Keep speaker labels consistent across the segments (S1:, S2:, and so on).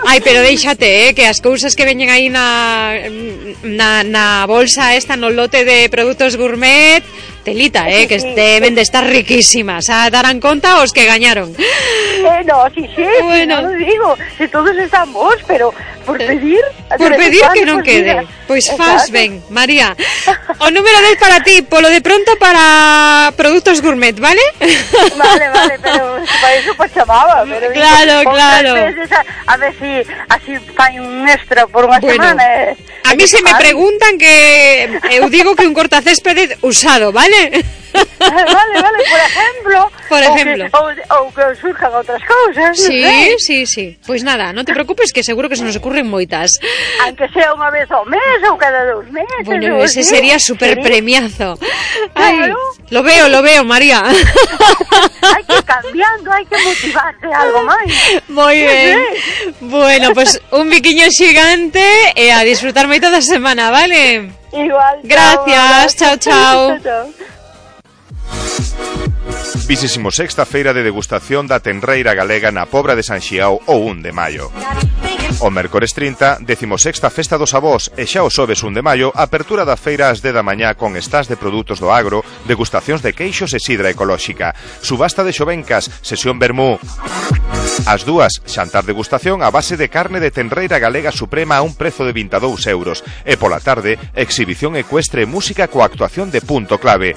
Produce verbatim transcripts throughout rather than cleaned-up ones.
S1: Ai, pero déixate, eh, que as cousas que veñen aí na, na, na bolsa esta, no lote de produtos gourmet, telita, eh, que deben de estar riquísimas. A darán conta os que gañaron.
S2: Eh, no, sí, sí, bueno. No lo digo, si todos están vos, pero por pedir...
S1: Por pedir que non quede. Pois faz ben, María. O número dez para ti, polo de pronto para produtos gourmet, vale?
S2: Vale, vale, pero para eso pues chamaba. Pero
S1: claro,
S2: digo,
S1: claro.
S2: Veces, a, a ver si así fai un extra por unha bueno, semana. Eh,
S1: a mí se me preguntan que eu digo que un cortacéspede usado, ¿vale?
S2: Vale, vale, por ejemplo.
S1: Por ejemplo.
S2: O que, o, o que surjan outras cousas.
S1: Sí,
S2: no sé.
S1: sí, sí. Pois pues nada, non te preocupes que seguro que se nos ocurren moitas.
S2: Aunque sea unha vez ao mes ou cada dos meses.
S1: Bueno, ese
S2: sí.
S1: sería super premiazo. Ay,
S2: claro.
S1: Lo veo, lo veo, María.
S2: Hai que ir cambiando, hai que motivarte algo máis.
S1: Moi ben. Bueno, pues un biquiño xigante e a disfrutar moito da semana, vale?
S2: Igual.
S1: Gracias, chao, chao.
S2: Chao, chao.
S3: vigésima sexta Feira de Degustación da Tenreira Galega na Pobra de San Xiao o un de maio. O mércores trinta, décima sexta Festa dos Avós e xa o xoves un de maio, apertura da feira ás dez da mañá con estás de produtos do agro, degustacións de queixos e sidra ecolóxica, subasta de xovencas, sesión vermú. As dúas, xantar degustación a base de carne de tenreira galega suprema a un prezo de vinte e dous euros e pola tarde, exhibición ecuestre e música coa actuación de Punto Clave.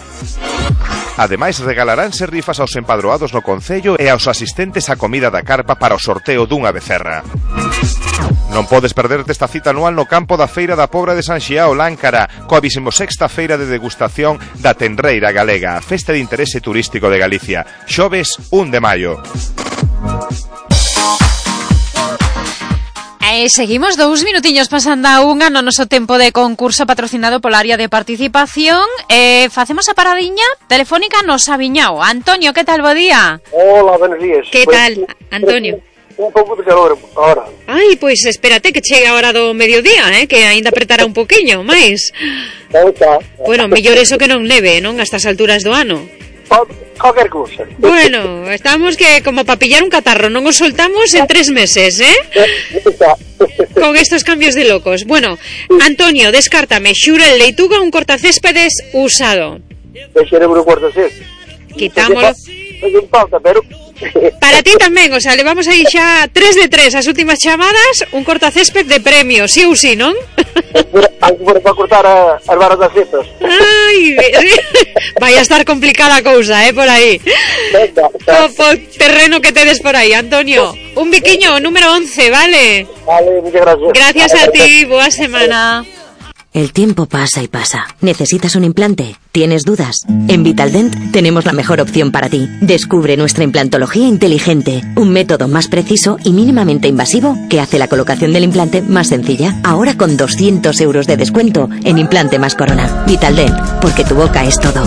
S3: Ademais, regalaránse rifas aos empadroados no concello e aos asistentes á comida da carpa para o sorteo dunha becerra. Non podes perderte esta cita anual no campo da Feira da Pobra de San Xiao, Láncara, coa vigésima sexta Feira de Degustación da Tenreira Galega, festa de interese turístico de Galicia, xoves un de maio.
S1: E seguimos dous minutiños pasando a unha no noso tempo de concurso patrocinado pola área de participación. Eh, facemos a paradiña telefónica no Sabiñao. Antonio, que tal, bo día?
S4: Hola, buenos días.
S1: Que pues, tal, Antonio?
S4: Un pouco de calor ahora.
S1: Ai, pois pues espérate que chegue a hora do mediodía, eh, que aínda apretará un poquinho máis. Bueno, mellor eso que non neve, non? A estas alturas do ano.
S4: Qualquer cousa.
S1: Bueno, estamos que como para pillar un catarro, non os soltamos en tres meses, ¿eh? Con estos cambios de locos. Bueno, Antonio, descártame, Xurel Leituga, un cortacéspedes usado.
S4: Deixaremos un cortacéspedes.
S1: Quitámoslo.
S4: Non falta, pero...
S1: Para ti tamén, o sea, le vamos aí xa tres de tres as últimas chamadas, un cortacésped de premio, sí ou sí, non?
S4: Hai que para cortar a, as varas das setas.
S1: Ai, vai a estar complicada a cousa, eh, por aí. O po terreno que tedes por aí, Antonio. Un biquiño, número once, vale?
S4: Vale, muchas gracias.
S1: Gracias a ti, boa semana.
S5: El tiempo pasa y pasa. ¿Necesitas un implante? ¿Tienes dudas? En Vitaldent tenemos la mejor opción para ti. Descubre nuestra implantología inteligente, un método más preciso y mínimamente invasivo que hace la colocación del implante más sencilla. Ahora con doscientos euros de descuento en Implante más Corona. Vitaldent, porque tu boca es todo.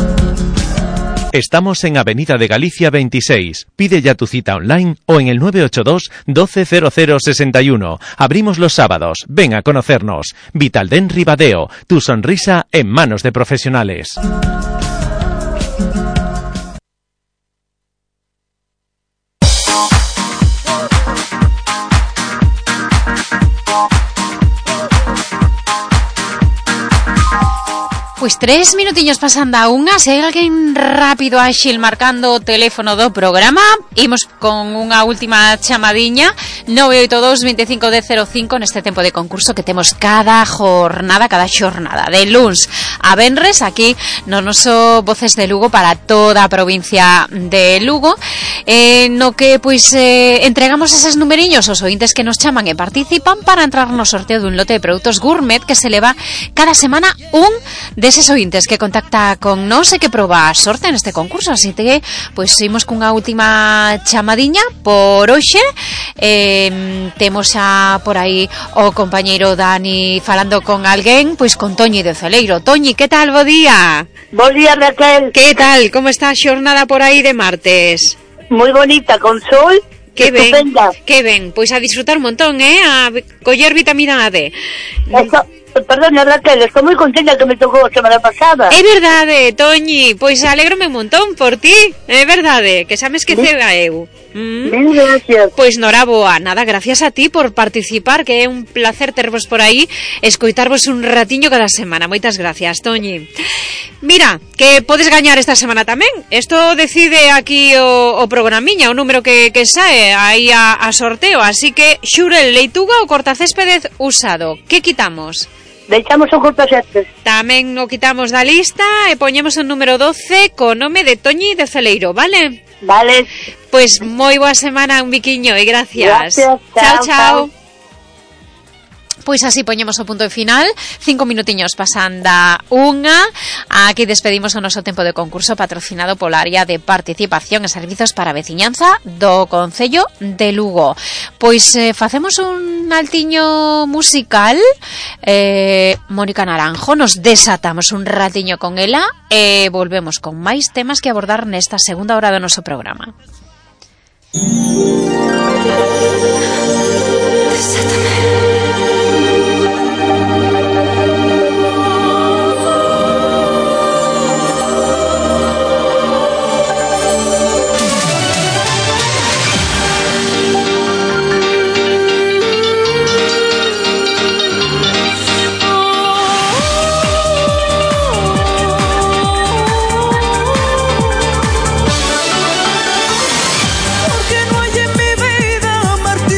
S6: Estamos en Avenida de Galicia veintiséis. Pide ya tu cita online o en el nueve ocho dos, doce cero cero sesenta y uno. Abrimos los sábados. Ven a conocernos. Vitaldent Ribadeo. Tu sonrisa en manos de profesionales.
S1: Pois tres minutiños pasando a unha. Se hai alguén rápido áxil marcando o teléfono do programa, imos con unha última chamadiña. Nove oito dos, veinticinco, dez, cero cinco neste tempo de concurso que temos cada jornada, cada xornada de luns a venres aquí no noso Voces de Lugo para toda a provincia de Lugo, eh, no que pois eh, entregamos eses numeriños aos ointes que nos chaman e participan para entrar no sorteo dun lote de produtos gourmet que se leva cada semana un de eses ointes que contacta con nós e que proba a sorte neste concurso. Así que, pois, imos cunha última chamadiña por hoxe. Eh, temos xa por aí o compañeiro Dani falando con alguén, pois con Toñi de Celeiro. Toñi, que tal, bo día?
S2: Bo día, Raquel.
S1: Que tal, como está a xornada por aí de martes?
S2: Moi bonita, con sol.
S1: Que ben,
S2: estupenda.
S1: Que ben, pois a disfrutar un montón, eh, a coller vitamina D.
S2: Eso, perdona, Raquel, estou moi contenta que me tocou a semana pasada.
S1: É verdade, Toñi, pois alegrome un montón por ti, é verdade, que xa me esquecera eu.
S2: Mm. Mil gracias.
S1: Pois noraboa, nada, gracias a ti por participar, que é un placer tervos por aí, escoitarvos un ratiño cada semana. Moitas gracias, Toñi. Mira, que podes gañar esta semana tamén. Isto decide aquí o, o programiña, o número que, que sae aí a, a sorteo. Así que, Xurel, leituga ou cortacéspede usado? Que quitamos?
S2: Deixamos o cortacéspede.
S1: Tamén o quitamos da lista e poñemos o número doce co nome de Toñi de Celeiro, vale?
S2: Vale.
S1: Pois moi boa semana, un biquiño e gracias.
S2: Gracias, chao,
S1: chao. chao. Pois así poñemos o punto de final. Cinco minutiños pasanda unha. Aquí despedimos o noso tempo de concurso patrocinado pola área de participación e servizos para a veciñanza do Concello de Lugo. Pois eh, facemos un altiño musical. eh, Mónica Naranjo, nos desatamos un ratiño con ela e volvemos con máis temas que abordar nesta segunda hora do noso programa. Desátame.
S7: Porque no hay en mi vida amarte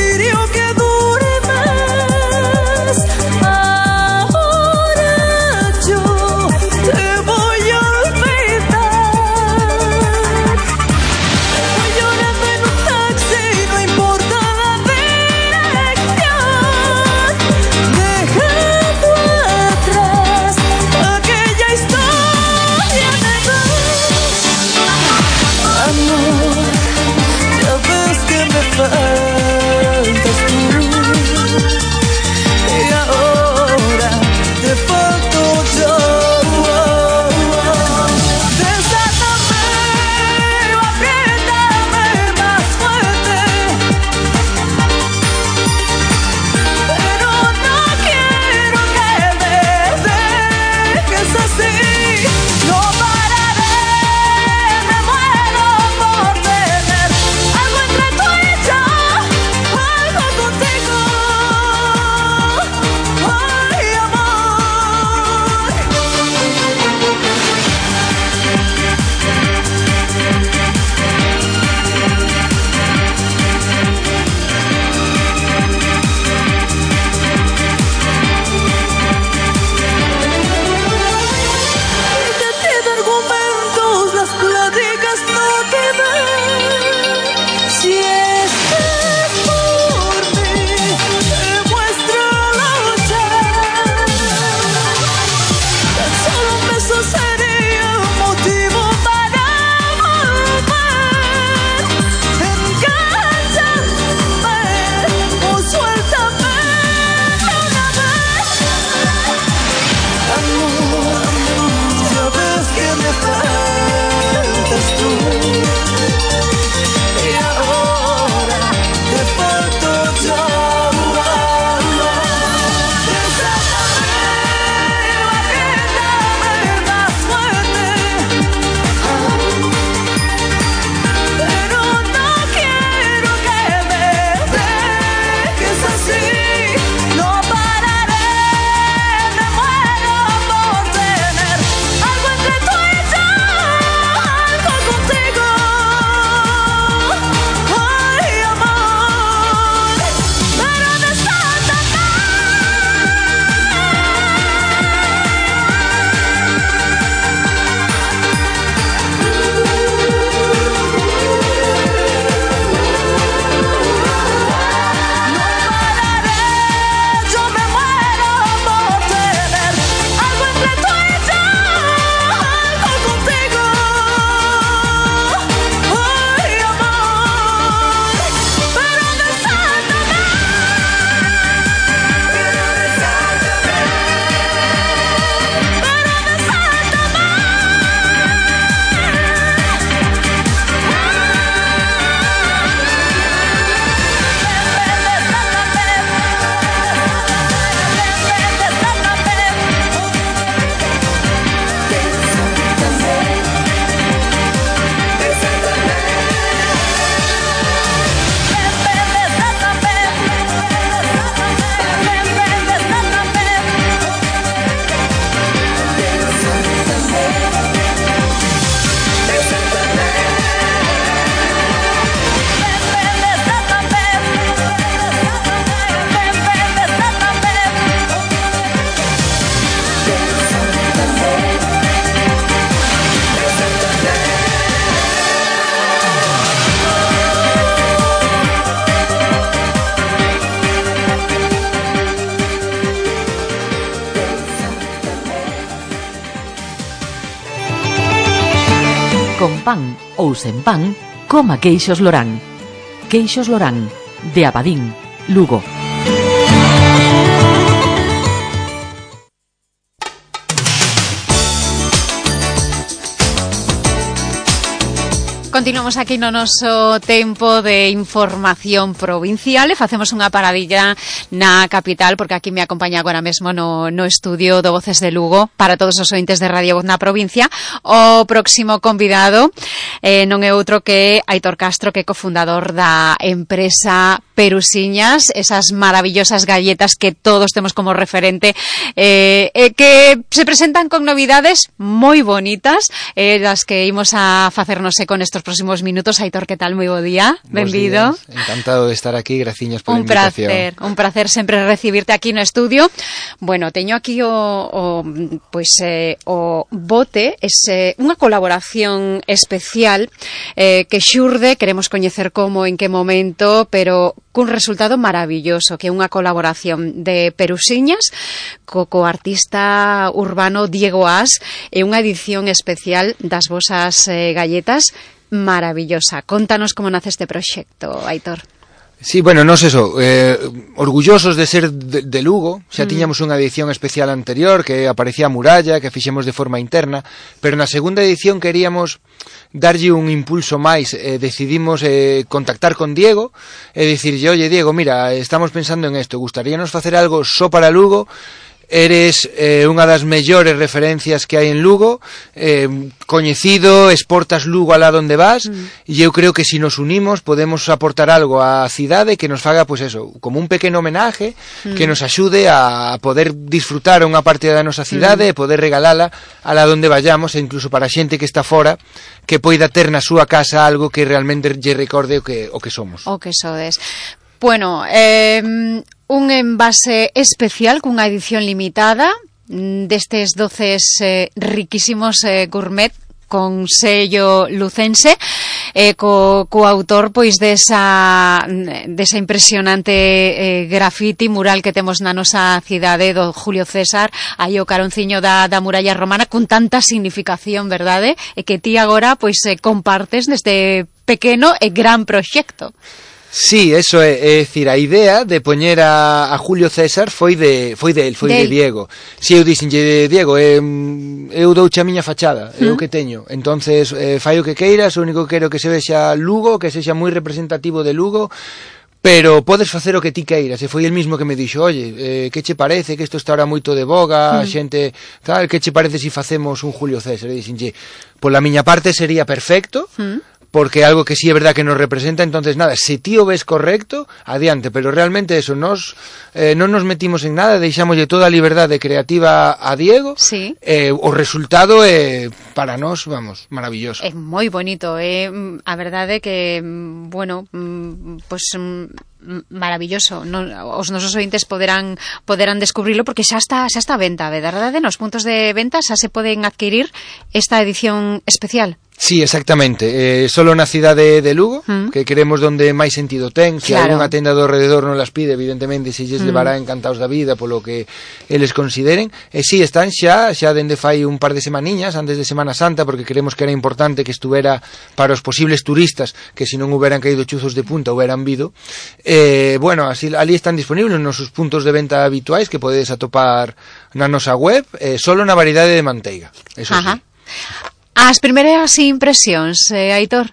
S7: Con pan ou sen pan, coma queixos Lorán. Queixos Lorán, de Abadín, Lugo.
S1: Continuamos aquí no noso tempo de información provincial e facemos unha paradilla na capital, porque aquí me acompaña agora mesmo no, no estudio do Voces de Lugo para todos os ointes de Radio Voz na provincia. O próximo convidado eh, non é outro que Aitor Castro, que é cofundador da empresa Perusiñas, esas maravillosas galletas que todos temos como referente, eh, eh, que se presentan con novidades moi bonitas, eh, das que imos a facernos con estos próximos minutos. Aitor, que tal? Moi bo día, benvido.
S8: Encantado de estar aquí, graciñas por
S1: un
S8: a invitación.
S1: Placer, un placer sempre recibirte aquí no estudio. Bueno, teño aquí o, o pois eh, o bote, é eh, unha colaboración especial eh, que xurde, queremos coñecer como, en que momento, pero cun resultado maravilloso, que é unha colaboración de Perusiñas co, co artista urbano Diego As, e unha edición especial das vosas eh, galletas maravillosa. Contanos como nace este proxecto, Aitor.
S8: Sí, bueno, nos eso, eh, orgullosos de ser de, de Lugo, xa mm. tiñamos unha edición especial anterior que aparecía a muralla, que fixemos de forma interna, pero na segunda edición queríamos darlle un impulso máis, eh, decidimos eh, contactar con Diego e dicirlle, oye Diego, mira, estamos pensando en isto, gustaríanos facer algo só para Lugo. Eres eh, unha das mellores referencias que hai en Lugo, eh, coñecido, exportas Lugo alá donde vas, mm. e eu creo que se si nos unimos podemos aportar algo á cidade que nos faga, pues eso, como un pequeno homenaje, mm. que nos axude a poder disfrutar unha parte da nosa cidade, mm. e poder regalala alá donde vayamos, e incluso para a xente que está fora, que poida ter na súa casa algo que realmente lle recorde o que, o que somos.
S1: O que sodes. Bueno, eh, un envase especial cunha edición limitada destes doces eh, riquísimos eh, gourmet con sello lucense, eh, co, co autor pois desa, desa impresionante eh, grafiti mural que temos na nosa cidade do Julio César, aí o caronciño da, da muralla romana, con tanta significación, verdade? E que ti agora pois eh, compartes neste pequeno e gran proxecto.
S8: Sí, eso é, é dicir, a idea de poñer a, a Julio César foi de foi de él, foi de, de Diego. Si eu dixenlle, Diego, eh, eu douche a miña fachada, é o que teño. Entonces, eh, fai o que queiras, o único que quero que se vexa Lugo, que sexa moi representativo de Lugo, pero podes facer o que ti queiras. E foi el mismo que me dixo, oye, eh, que che parece que isto está ahora moito de boga, a xente, tal, que che parece se si facemos un Julio César? E dixenlle, pola miña parte sería perfecto, mm. porque algo que sí é verdad que nos representa, entonces nada, se ti o ves correcto, adiante, pero realmente eso, nos eh, non nos metimos en nada, deixámoslle toda a liberdade creativa a Diego,
S1: sí.
S8: eh, o resultado é, eh, para nós, vamos, maravilloso.
S1: É moi bonito, é eh, a verdade que, bueno, pues maravilloso, non, os nosos ointes poderán poderán descubrilo porque xa está xa está a venta, verdade? Nos puntos de venta xa se poden adquirir esta edición especial.
S8: Sí, exactamente. Eh, solo na cidade de Lugo, mm. que queremos donde máis sentido ten. Se claro. hai unha tenda do alrededor non las pide, evidentemente, se lles mm. levará encantados da vida polo que eles consideren. E sí, están xa, xa dende fai un par de semaniñas, antes de Semana Santa, porque queremos que era importante que estuvera para os posibles turistas, que se non hubieran caído chuzos de punta, hubieran vido. Eh, bueno, así, ali están disponibles nos nosos puntos de venta habituais, que podedes atopar na nosa web, eh, solo na variedade de manteiga. Eso
S1: Ajá.
S8: sí.
S1: As primeiras impresións, eh, Aitor?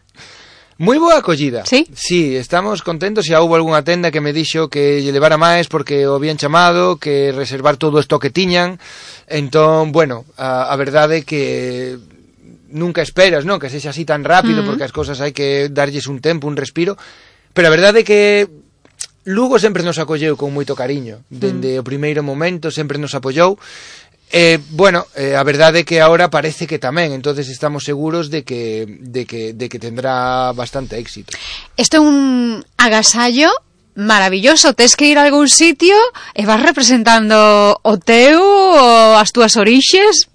S8: Moi boa acollida.
S1: Sí?
S8: Sí, estamos contentos. Xa houve algunha tenda que me dixo que lle levara máis porque o habían chamado, que reservar todo isto que tiñan. Entón, bueno, a, a verdade é que nunca esperas, non? Que sexa así tan rápido, mm-hmm. porque as cousas hai que darlles un tempo, un respiro. Pero a verdade é que Lugo sempre nos acolleu con moito cariño. Dende mm. o primeiro momento sempre nos apoiou. Eh, bueno, eh, a verdade é que agora parece que tamén, entonces estamos seguros de que de que de que tendrá bastante éxito.
S1: Isto é un agasallo maravilloso, tes que ir a algún sitio e vas representando o teu, o as túas orixes.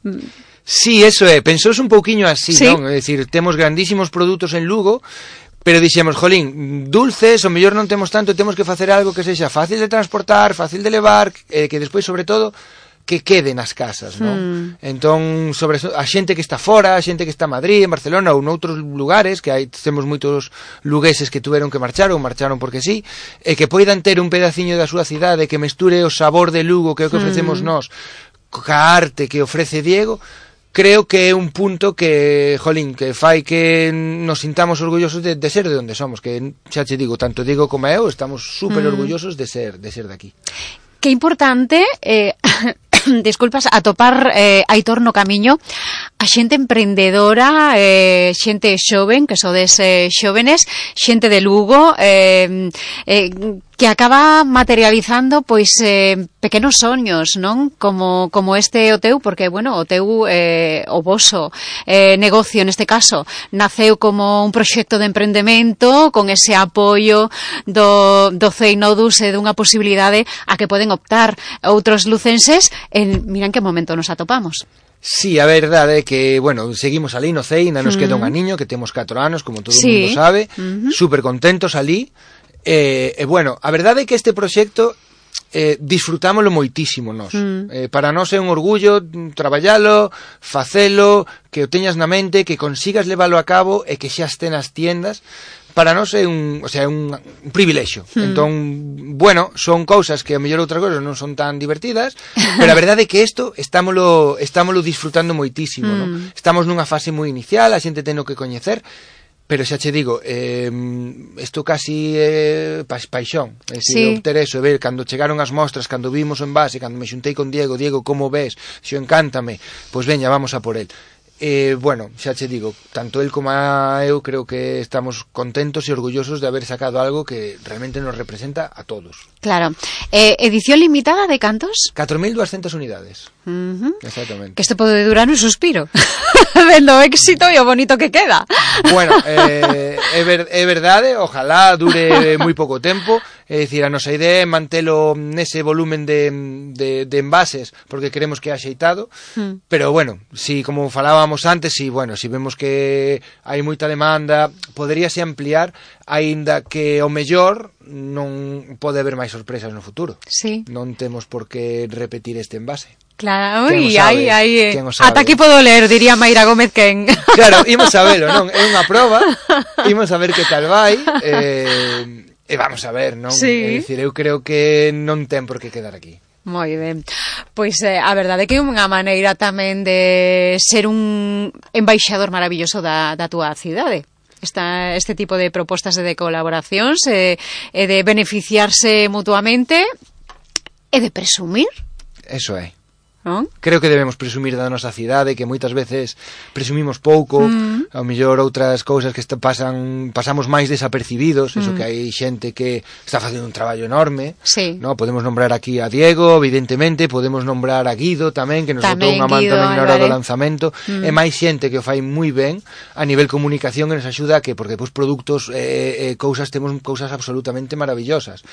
S8: Sí, eso é, pensouse un pouquiño así,
S1: ¿Sí?
S8: non? É dicir, temos grandísimos produtos en Lugo, pero dixemos, jolín, dulces, o mellor non temos tanto, temos que facer algo que sexa fácil de transportar, fácil de levar, eh, que despois, sobre todo, que quede nas casas, non?
S1: Mm.
S8: Entón, sobre a xente que está fora, a xente que está en Madrid, en Barcelona ou noutros lugares, que hai temos moitos lugueses que tuveron que marchar ou marcharon porque sí, e que poidan ter un pedaciño da súa cidade que mesture o sabor de Lugo que é o que ofrecemos mm. nós, ca arte que ofrece Diego, creo que é un punto que, jolín, que fai que nos sintamos orgullosos de, de ser de onde somos, que xa te digo, tanto Diego como eu estamos super mm. orgullosos de ser de ser de aquí.
S1: Que importante, eh, disculpas, atopar eh, Aitor no camiño a xente emprendedora, eh, xente xoven, que sodes eh, xóvenes, xente de Lugo, eh, eh, que acaba materializando pois eh, pequenos soños, non? Como como este o teu, porque bueno, o teu eh, o voso eh, negocio neste caso naceu como un proxecto de emprendemento con ese apoio do do Ceinodus e dunha posibilidade a que poden optar outros lucenses en mira en que momento nos atopamos.
S8: Sí, a verdade é que, bueno, seguimos ali no C E I, ainda nos mm. queda un aniño, que temos catro anos, como todo o
S1: sí.
S8: mundo sabe,
S1: mm-hmm.
S8: super contentos ali, e, eh, eh, bueno, a verdade é que este proxecto eh, disfrutámoslo moitísimo nós. Mm. Eh, para nós é un orgullo traballalo, facelo, que o teñas na mente, que consigas leválo a cabo e que xa este nas tiendas. Para nós é un, o sea, un, un privilexio. Mm. Entón, bueno, son cousas que a mellor outras cousas non son tan divertidas, pero a verdade é que isto estámolo, estámolo disfrutando moitísimo, mm. ¿no? Estamos nunha fase moi inicial, a xente ten o que coñecer, pero xa che digo, eh, isto casi é eh, pa, paixón. É dicir, sí. obter eso, ver, cando chegaron as mostras, cando vimos o envase, cando me xuntei con Diego, Diego, como ves? Xo encántame, pois veña, vamos a por el. Eh, bueno, xa che digo, tanto el como eu creo que estamos contentos e orgullosos de haber sacado algo que realmente nos representa a todos.
S1: Claro. Eh, edición limitada de cantos?
S8: catro mil doscientas unidades.
S1: Uh-huh.
S8: Exactamente.
S1: Que isto pode durar un suspiro. Vendo o éxito e o bonito que queda.
S8: Bueno, eh, é, ver, é verdade, ojalá dure moi pouco tempo. É dicir, a nosa idea é mantelo nese volumen de, de, de envases, porque queremos que axeitado, mm. pero bueno, si como falábamos antes, si, bueno, si vemos que hai moita demanda, poderíase ampliar, aínda que o mellor non pode haber máis sorpresas no futuro.
S1: Sí.
S8: Non temos por que repetir este envase.
S1: Claro, ui, aí, aí, ata aquí podo ler, diría Mayra Gómez Ken.
S8: Claro, imos a velo, non? É unha proba, imos a ver que tal vai, eh... E vamos a ver, non?
S1: Sí.
S8: É dicir, eu creo que non ten por que quedar aquí.
S1: Moi ben. Pois eh, a verdade é que é unha maneira tamén de ser un embaixador maravilloso da, da túa cidade. Esta, este tipo de propostas de colaboracións e, e de beneficiarse mutuamente e de presumir.
S8: Eso é.
S1: ¿No?
S8: Creo que debemos presumir da nosa cidade, que moitas veces presumimos pouco, mm. ao mellor outras cousas que pasan pasamos máis desapercibidos, mm. eso que hai xente que está facendo un traballo enorme,
S1: sí.
S8: ¿no? Podemos nombrar aquí a Diego, evidentemente, podemos nombrar a Guido tamén, que nos botou unha man tamén na hora do lanzamento, mm. e máis xente que o fai moi ben a nivel comunicación, que nos axuda a que, porque pois produtos e eh, eh, cousas, temos cousas absolutamente maravillosas.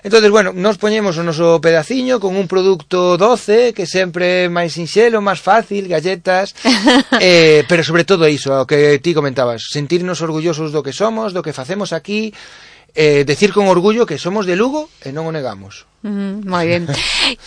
S8: Entonces, bueno, nos poñemos o noso pedaciño con un produto doce, que sempre máis sinxelo, máis fácil, galletas, eh, pero sobre todo iso, o que ti comentabas, sentirnos orgullosos do que somos, do que facemos aquí, eh, decir con orgullo que somos de Lugo e non o negamos.
S1: Mm, moi ben.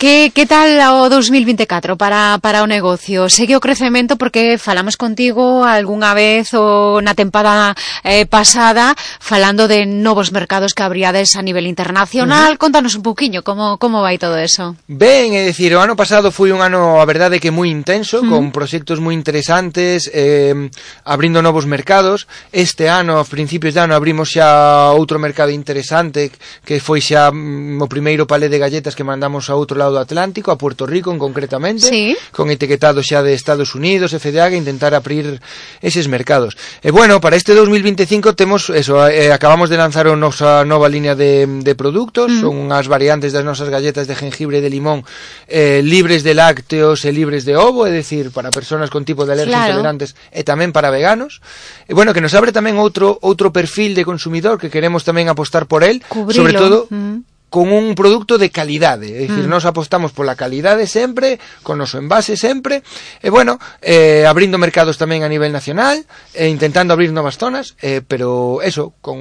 S1: que, que tal o dos mil vinte e catro para, para o negocio? Segue o crecemento porque falamos contigo algunha vez ou na tempada eh, pasada falando de novos mercados que abríades a nivel internacional. Uh-huh. Contanos un pouquiño como, como vai todo eso.
S8: Ben, é dicir, o ano pasado foi un ano, a verdade, que moi intenso, uh-huh. con proxectos moi interesantes, eh, abrindo novos mercados. Este ano, a principios de ano, abrimos xa outro mercado interesante que foi xa mm, o primeiro palé de galletas que mandamos a outro lado do Atlántico, a Puerto Rico en concretamente,
S1: sí.
S8: con etiquetado xa de Estados Unidos, F D A, que intentar abrir eses mercados. E bueno, para este dos mil vinte e cinco temos eso, eh, acabamos de lanzar a nosa nova línea de, de produtos, mm. son unhas variantes das nosas galletas de jengibre e de limón, eh, libres de lácteos e libres de ovo, é dicir, para persoas con tipo de alergias claro. intolerantes e tamén para veganos. E bueno, que nos abre tamén outro outro perfil de consumidor que queremos tamén apostar por el,
S1: Cubrilo.
S8: sobre todo
S1: mm.
S8: con un produto de calidade, é dicir, mm. nos apostamos pola calidade sempre, con noso envase sempre, e bueno, eh, abrindo mercados tamén a nivel nacional, e intentando abrir novas zonas, eh, pero eso, con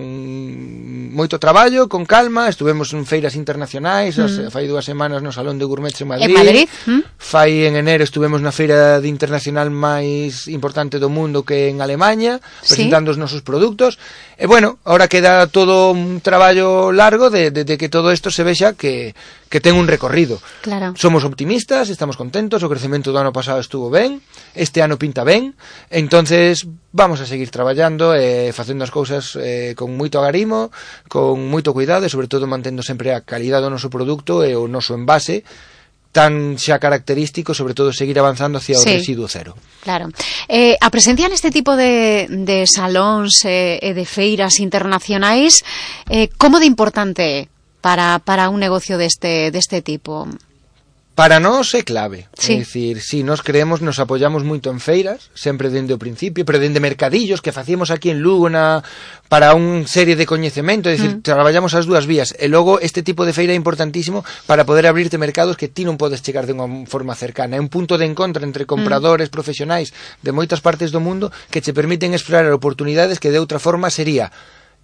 S8: moito traballo, con calma, estuvemos en feiras internacionais, mm. fai dúas semanas no Salón de Gourmets en Madrid,
S1: en Madrid? Mm.
S8: fai en enero estuvemos na feira de internacional máis importante do mundo que en Alemanha, presentando ¿Sí? os nosos produtos, e bueno, ahora queda todo un traballo largo de, de, de que todo isto se vexa que, que ten un recorrido.
S1: Claro.
S8: Somos optimistas, estamos contentos, o crecemento do ano pasado estuvo ben, este ano pinta ben, entonces vamos a seguir traballando e eh, facendo as cousas eh, con moito agarimo, con moito cuidado e sobre todo mantendo sempre a calidade do noso produto e o noso envase tan xa característico, sobre todo seguir avanzando hacia o sí, residuo cero.
S1: Claro. Eh, a presencia neste tipo de, de salóns e eh, de feiras internacionais, eh, como de importante é para, para un negocio deste, deste tipo?
S8: Para nós é clave,
S1: sí.
S8: é dicir, si nos creemos, nos apoyamos moito en feiras, sempre dende o principio, pero dende mercadillos que facíamos aquí en Lugo na, para un serie de coñecemento, é dicir, mm. traballamos as dúas vías, e logo este tipo de feira é importantísimo para poder abrirte mercados que ti non podes chegar de unha forma cercana, é un punto de encontro entre compradores mm. profesionais de moitas partes do mundo que che permiten explorar oportunidades que de outra forma sería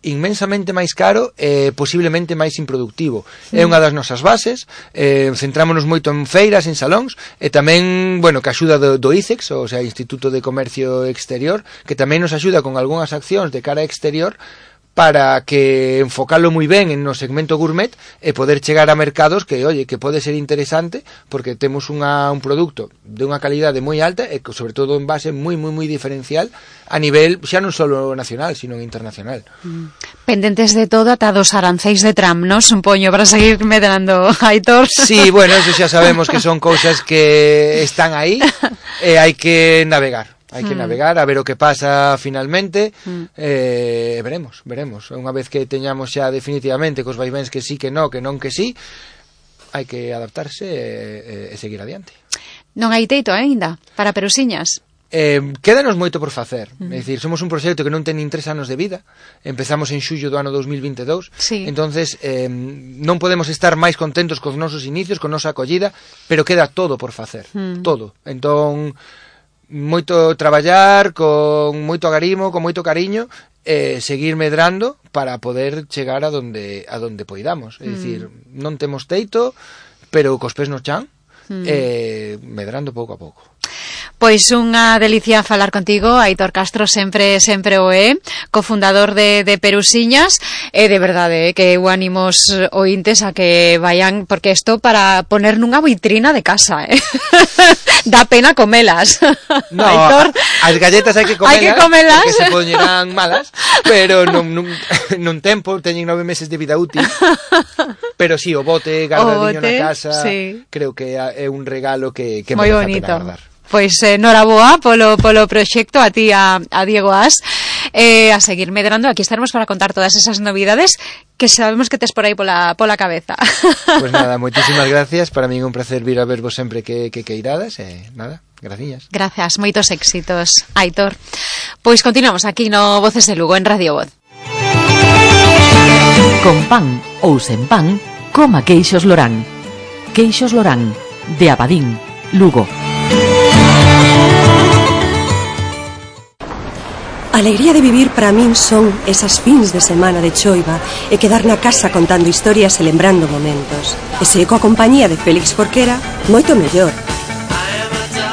S8: inmensamente máis caro e posiblemente máis improductivo. Mm. É unha das nosas bases, eh, centrámonos moito en feiras, en salóns, e tamén, bueno, que axuda do, do I C E X, o sea, Instituto de Comercio Exterior, que tamén nos axuda con algunhas accións de cara exterior para que enfocalo moi ben en no segmento gourmet e poder chegar a mercados que, oye, que pode ser interesante porque temos unha, un produto de unha calidade moi alta e sobre todo en base moi, moi, moi diferencial a nivel, xa non só nacional, sino internacional.
S1: Mm. Pendentes de todo ata dos aranceis de Trump, non? Supoño, para seguir medrando, Aitor.
S8: Sí, bueno, eso xa sabemos que son cousas que están aí e hai que navegar. Hai que mm. navegar a ver o que pasa finalmente, mm. eh, veremos, veremos. Unha vez que teñamos xa definitivamente cos vaivéns que sí, que no, que non, que sí, hai que adaptarse e, e seguir adiante.
S1: Non hai teito aínda para Perusiñas?
S8: Eh, quédanos moito por facer, mm. é dicir, somos un proxecto que non ten nin tres anos de vida, empezamos en xullo do ano dos mil vinte e dous,
S1: sí.
S8: entonces eh, non podemos estar máis contentos cos nosos inicios, con nosa acollida, pero queda todo por facer, mm. todo. Entón, moito traballar, con moito agarimo, con moito cariño, e eh, seguir medrando para poder chegar a donde a donde poidamos. É dicir, mm. non temos teito, pero cos pés no chan, mm. e eh, medrando pouco a pouco.
S1: Pois unha delicia falar contigo, Aitor Castro, sempre sempre o é, cofundador de, de Perusiñas, e de verdade, eh, que eu animos ointes a que vayan, porque isto para poner nunha vitrina de casa, eh. Dá pena comelas.
S8: No, Aitor, as galletas hai que comelas,
S1: hai que comelas
S8: porque se poñerán malas, pero non, non, non tempo, teñen nove meses de vida útil, pero si, sí, o bote guardadiño na casa, sí. creo que é un regalo que, que merece a pena guardar.
S1: Pois eh, noraboa polo, polo proxecto, a ti, a, a Diego As, eh, a seguir medrando. Aquí estaremos para contar todas esas novidades que sabemos que tes por aí pola, pola cabeza.
S8: Pois nada, moitísimas gracias, para mí é un placer vir a vervos sempre que, que queiradas, e eh, nada, graciñas.
S1: Gracias, moitos éxitos, Aitor. Pois continuamos aquí no Voces de Lugo, en Radio Voz.
S7: Con pan ou sen pan, coma queixos Lorán. Queixos Lorán, de Abadín, Lugo.
S9: A alegría de vivir para min son esas fins de semana de choiva e quedar na casa contando historias e lembrando momentos. E se coa compañía de Félix Jorquera, moito mellor.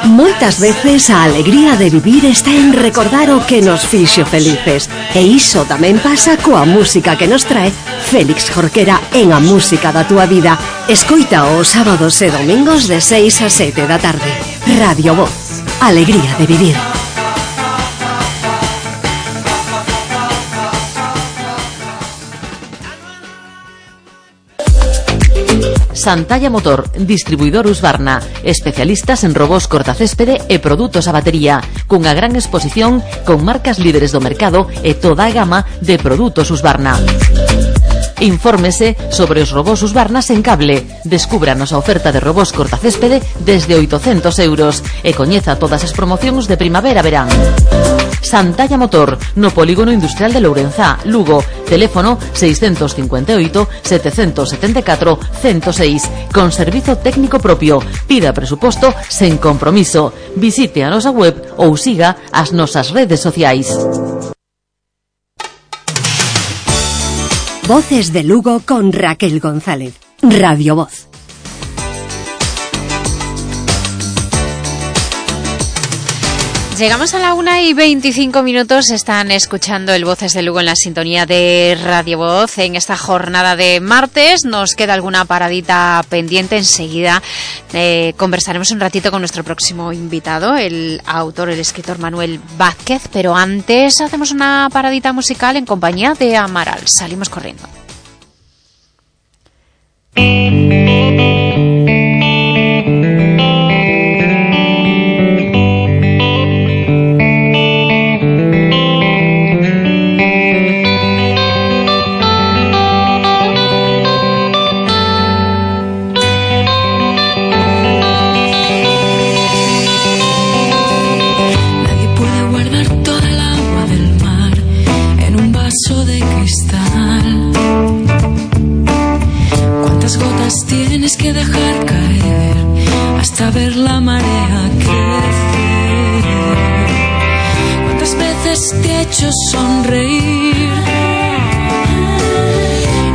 S10: Moitas veces a alegría de vivir está en recordar o que nos fixo felices. E iso tamén pasa coa música que nos trae Félix Jorquera en A Música da Túa Vida. Escoita os sábados e domingos de seis a sete da tarde. Radio Voz. Alegría de vivir.
S7: Santalla Motor, distribuidor Husqvarna, especialistas en robós cortacéspede e produtos a batería, cunha gran exposición con marcas líderes do mercado e toda a gama de produtos Husqvarna. Infórmese sobre os robós Husqvarna en cable. Descubra a nosa oferta de robós cortacéspede desde oitocentos euros e coñeza todas as promocións de primavera-verán. Santalla Motor, no Polígono Industrial de Lourenzá, Lugo. Teléfono seiscentos cincuenta e oito, setecentos setenta e catro, cento seis. Con servizo técnico propio. Pida presuposto sen compromiso. Visite a nosa web ou siga as nosas redes sociais.
S10: Voces de Lugo con Raquel González. Radio Voz.
S1: Llegamos a la una y veinticinco minutos. Están escuchando el Voces de Lugo en la sintonía de Radio Voz. En esta jornada de martes nos queda alguna paradita pendiente. Enseguida eh, conversaremos un ratito con nuestro próximo invitado, el autor, el escritor Manuel Vázquez. Pero antes hacemos una paradita musical en compañía de Amaral. Salimos corriendo.
S11: Tienes que dejar caer hasta ver la marea crecer. ¿Cuántas veces te he hecho sonreír?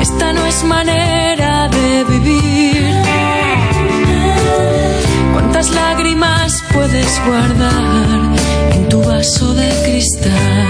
S11: Esta no es manera de vivir. ¿Cuántas lágrimas puedes guardar en tu vaso de cristal?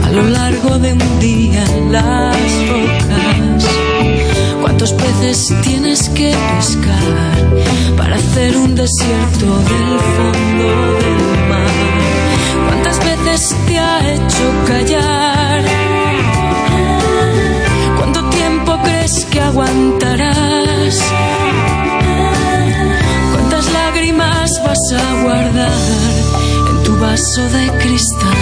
S11: A lo largo de un día en las rocas, ¿cuántos peces tienes que pescar para hacer un desierto del fondo del mar? ¿Cuántas veces te ha hecho callar? ¿Cuánto tiempo crees que aguantarás? ¿Cuántas lágrimas vas a guardar en tu vaso de cristal?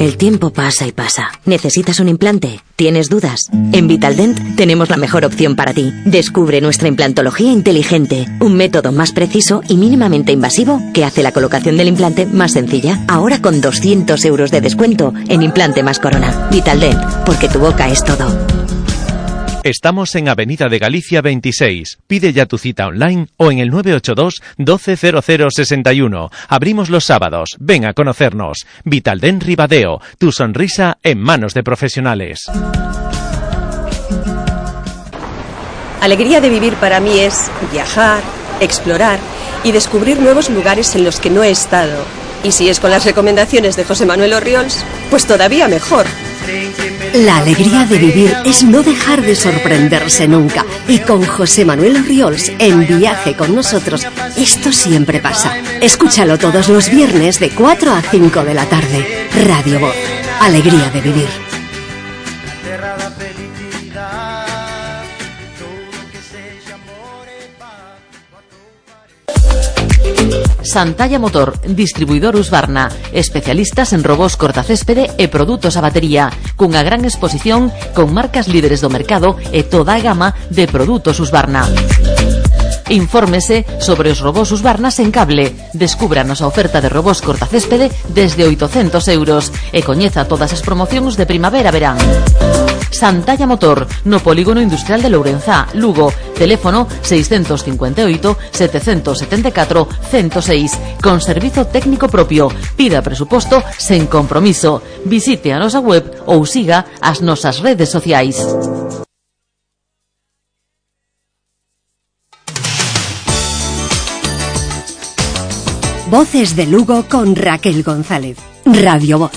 S5: El tiempo pasa y pasa. ¿Necesitas un implante? ¿Tienes dudas? En Vitaldent tenemos la mejor opción para ti. Descubre nuestra implantología inteligente, un método más preciso y mínimamente invasivo que hace la colocación del implante más sencilla. Ahora con doscientos euros de descuento en implante más corona. Vitaldent, porque tu boca es todo.
S6: Estamos en Avenida de Galicia veintiséis. Pide ya tu cita online o en el nueve ocho dos, doce cero cero sesenta y uno. Abrimos los sábados. Ven a conocernos. Vitaldent Ribadeo. Tu sonrisa en manos de profesionales.
S9: Alegría de vivir para mí es viajar, explorar y descubrir nuevos lugares en los que no he estado. Y si es con las recomendaciones de José Manuel Orriols, pues todavía mejor.
S10: La alegría de vivir es no dejar de sorprenderse nunca. Y con José Manuel Orriols en Viaje con nosotros, esto siempre pasa. Escúchalo todos los viernes de cuatro a cinco de la tarde. Radio Voz. Alegría de vivir.
S7: Santalla Motor, distribuidor Husqvarna, especialistas en robós cortacéspede e produtos a batería, cunha gran exposición con marcas líderes do mercado e toda a gama de produtos Husqvarna. Infórmese sobre os robós Husqvarna en cable. Descubra a nosa oferta de robós cortacéspede desde oitocentos euros e coñeza todas as promocións de primavera-verán. Santalla Motor, no Polígono Industrial de Lourenzá, Lugo. Teléfono seiscentos cincuenta e oito, setecentos setenta e catro, cento seis. Con servizo técnico propio. Pida presuposto sen compromiso. Visite a nosa web ou siga as nosas redes sociais.
S10: Voces de Lugo con Raquel González. Radio Voz.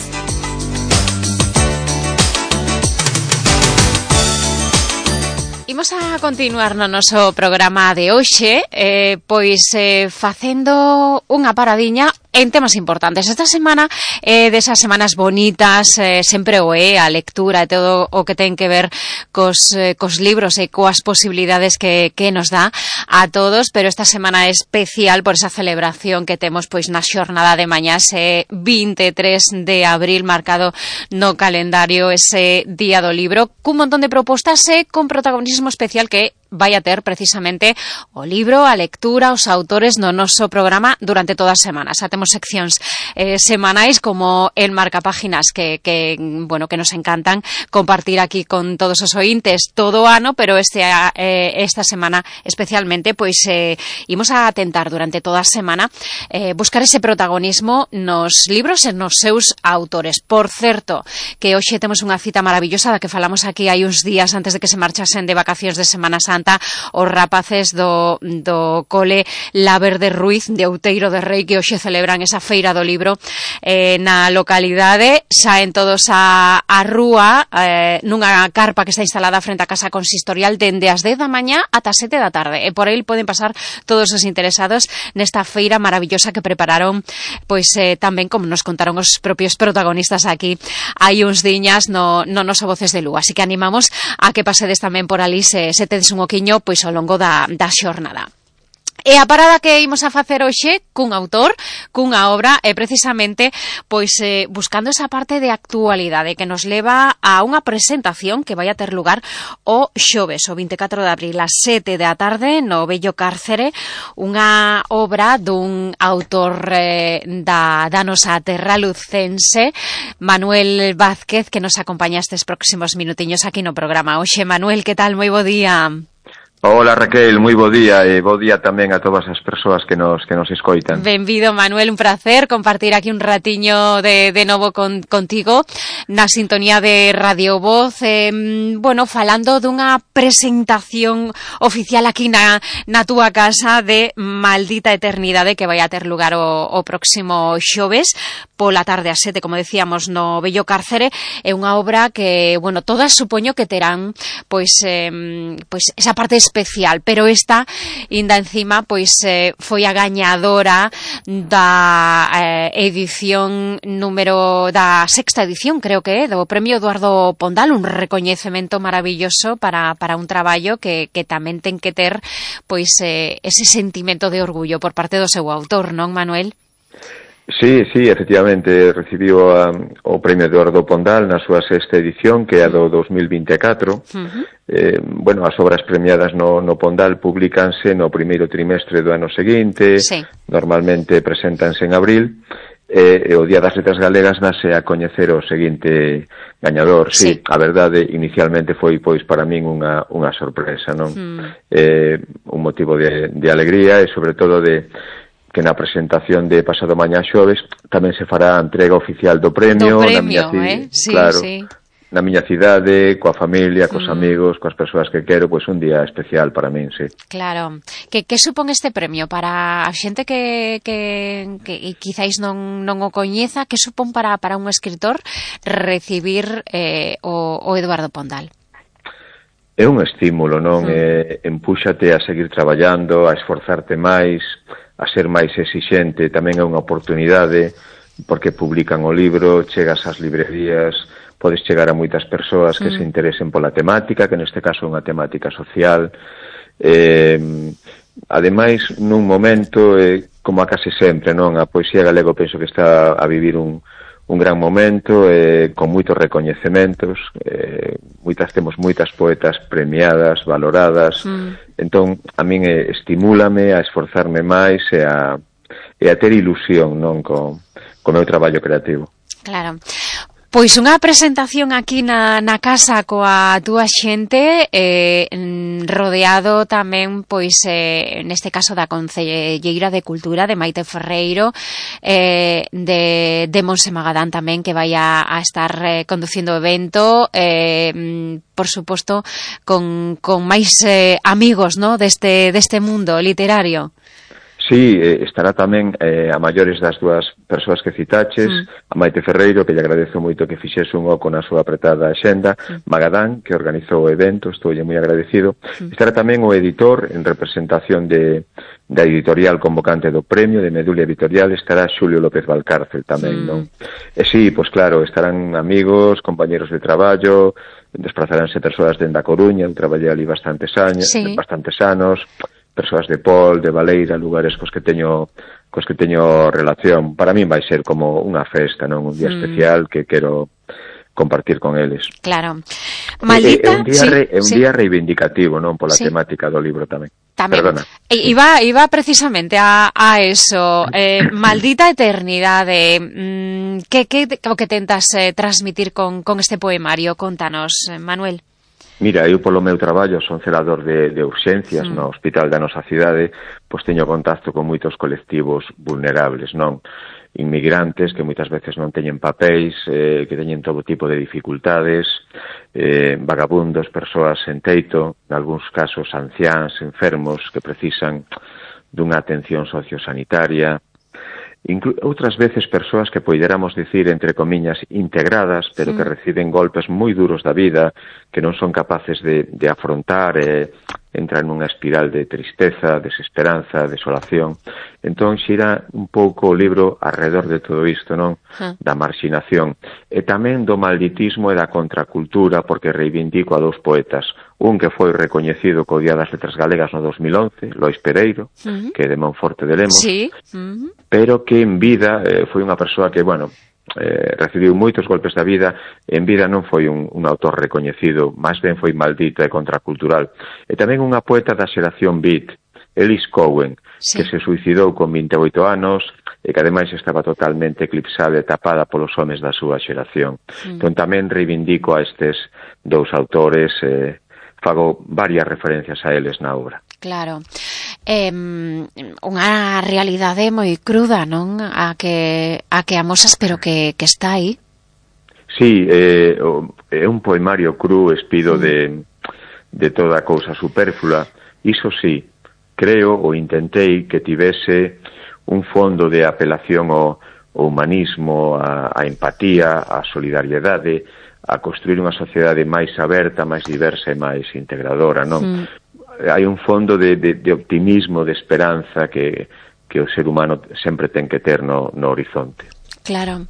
S1: Imos a continuar no noso programa de hoxe, eh, pois eh, facendo unha paradiña en temas importantes. Esta semana é eh, desas semanas bonitas, eh, sempre o é, a lectura e todo o que ten que ver cos, eh, cos libros e coas posibilidades que, que nos dá a todos, pero esta semana é especial por esa celebración que temos pois na xornada de mañá, ese vinte e tres de abril, marcado no calendario ese Día do Libro, cun montón de propostas e con protagonismo especial que vai a ter precisamente o libro, a lectura, os autores no noso programa durante todas as semanas. Xa temos seccións eh, semanais como el marcapáginas que, que, bueno, que nos encantan compartir aquí con todos os ointes todo o ano, pero este, eh, esta semana especialmente pois eh, imos a tentar durante toda a semana eh, buscar ese protagonismo nos libros e nos seus autores. Por certo, que hoxe temos unha cita maravillosa da que falamos aquí hai uns días antes de que se marchasen de vacacións de Semana Santa os rapaces do, do cole La Verde Ruiz de Outeiro de Rei, que hoxe celebran esa feira do libro eh, na localidade. Saen todos a, a rúa eh, nunha carpa que está instalada frente á Casa Consistorial dende as dez da mañá ata as sete da tarde, e por aí poden pasar todos os interesados nesta feira maravillosa que prepararon, pois eh, tamén como nos contaron os propios protagonistas aquí hai uns diñas no, no noso Voces de Lugo, así que animamos a que pasedes tamén por ali se, se tedes un oquiño pois ao longo da, da xornada. E a parada que imos a facer hoxe cun autor, cunha obra, é precisamente pois eh, buscando esa parte de actualidade que nos leva a unha presentación que vai a ter lugar o xoves, o vinte e catro de abril, ás sete da tarde, no Bello Cárcere, unha obra dun autor eh, da, da nosa terra lucense, Manuel Vázquez, que nos acompaña estes próximos minutiños aquí no programa. Oxe, Manuel, que tal? Moi bo día.
S12: Hola Raquel, moi bo día e bo día tamén a todas as persoas que nos que nos escoitan.
S1: Benvido, Manuel, un placer compartir aquí un ratiño de, de novo con, contigo na sintonía de Radio Voz, eh, bueno, falando dunha presentación oficial aquí na, na túa casa de Maldita Eternidade que vai a ter lugar o, o próximo xoves pola tarde ás sete, como decíamos, no Bello Cárcere. É unha obra que, bueno, todas supoño que terán pois, eh, pois esa parte especial, pero esta inda encima pois eh, foi a gañadora da eh, edición número da sexta edición, creo que é, do Premio Eduardo Pondal, un recoñecemento maravilloso para, para un traballo que, que tamén ten que ter pois eh, ese sentimento de orgullo por parte do seu autor, non, Manuel?
S12: Sí, sí, efectivamente, recibiu a, o Premio de Oro do Pondal na súa sexta edición, que é a do dos mil vinte e catro. Uh-huh. eh, bueno, as obras premiadas no, no Pondal publicanse no primeiro trimestre do ano seguinte, sí. Normalmente preséntanse en abril, e, e o Día das Letras Galegas nase a coñecer o seguinte gañador. Sí, sí, a verdade, inicialmente foi, pois, para min unha, unha sorpresa, non? Uh-huh. Eh, un motivo de, de alegría e, sobre todo, de que na presentación de pasado mañá xoves tamén se fará a entrega oficial do premio,
S1: do premio
S12: na miña cidade,
S1: eh? Sí,
S12: claro,
S1: sí.
S12: Na miña cidade, coa familia, cos mm. amigos, coas persoas que quero, pois un día especial para min, sí.
S1: Claro. Que, que supón este premio para a xente que, que, que quizáis non, non o coñeza, que supón para, para un escritor recibir eh, o, o Eduardo Pondal?
S12: É un estímulo, non? Mm. Eh, empúxate a seguir traballando, a esforzarte máis, a ser máis exixente. Tamén é unha oportunidade porque publican o libro, chegas ás librerías, podes chegar a moitas persoas que mm. se interesen pola temática, que neste caso é unha temática social. Eh, ademais, nun momento, eh, como a case sempre, non? A poesía galega penso que está a vivir un, un gran momento, eh, con moitos recoñecementos, eh, moitas temos moitas poetas premiadas, valoradas. Mm. Entón, a min eh, estimúlame a esforzarme máis e a, e a ter ilusión, non, co, co meu traballo creativo.
S1: Claro. Pois unha presentación aquí na, na casa coa túa xente, eh, rodeado tamén, pois, eh, neste caso da Concelleira de Cultura, de Maite Ferreiro, eh, de, de Monse Magadán tamén, que vai a, a estar eh, conducindo o evento, eh, por suposto, con, con máis eh, amigos, no, deste, deste mundo literario.
S12: Sí, eh, estará tamén eh, a maiores das dúas persoas que citaches, mm. a Maite Ferreiro, que lle agradezo moito que fixese un oco na súa apretada axenda, mm. Magadán, que organizou o evento, estou moi agradecido. Mm. Estará tamén o editor, en representación de, da editorial convocante do premio, de Medulia Editorial, estará Xulio López Valcárcel tamén, mm. non? E sí, pois claro, estarán amigos, compañeros de traballo, desplazaránse persoas dende a Coruña, eu traballei ali bastantes años, sí. bastantes anos, persoas de Pol, de Baleira, lugares cos que teño cos que teño relación. Para min vai ser como unha festa, non? Un día mm. especial que quero compartir con eles.
S1: Claro. Maldita...
S12: É un día, sí, re, é un sí. día reivindicativo, non? Pola sí. temática do libro tamén.
S1: Tamén.
S12: Perdona.
S1: Iba, iba precisamente a, a eso. Eh, maldita eternidade. Mm, que, que, o que tentas eh, transmitir con, con este poemario? Contanos, Manuel.
S12: Mira, eu polo meu traballo son celador de, de urxencias mm. no hospital da nosa cidade, pois teño contacto con moitos colectivos vulnerables, non? Inmigrantes que moitas veces non teñen papéis, eh, que teñen todo tipo de dificultades, eh, vagabundos, persoas sen teito, en algúns casos anciáns, enfermos, que precisan dunha atención sociosanitaria, Inclu- outras veces persoas que poidéramos dicir, entre comiñas, integradas, pero sí. que reciben golpes moi duros da vida, que non son capaces de, de afrontar e entran nunha espiral de tristeza, desesperanza, desolación. Entón, xira un pouco o libro alrededor de todo isto, non? Sí. Da marxinación. E tamén do malditismo e da contracultura, porque reivindico a dous poetas. Un que foi recoñecido co Día das Letras Galegas no dos mil once, Lois Pereiro, uh-huh. que é de Monforte de Lemos,
S1: sí. uh-huh.
S12: pero que en vida eh, foi unha persoa que, bueno, eh, recibiu moitos golpes da vida, en vida non foi un, un autor recoñecido, máis ben foi maldito e contracultural. E tamén unha poeta da xeración Beat, Ellis Cowen, sí. que se suicidou con vinte e oito anos e que ademais estaba totalmente eclipsada e tapada polos homes da súa xeración. Mm. Entón tamén reivindico a estes dous autores, eh, fago varias referencias a eles na obra.
S1: Claro. Eh, unha realidade moi cruda, non? A que, a que amosas, pero que, que está aí.
S12: Sí, eh, é un poemario cru, espido mm. de, de toda cousa superflua. Iso sí, creo ou intentei que tivese un fondo de apelación ao, ao humanismo, a, a empatía, a solidariedade, a construir unha sociedade máis aberta, máis diversa e máis integradora, non? Mm. Hai un fondo de, de, de optimismo, de esperanza que, que o ser humano sempre ten que ter no, no horizonte.
S1: Claro.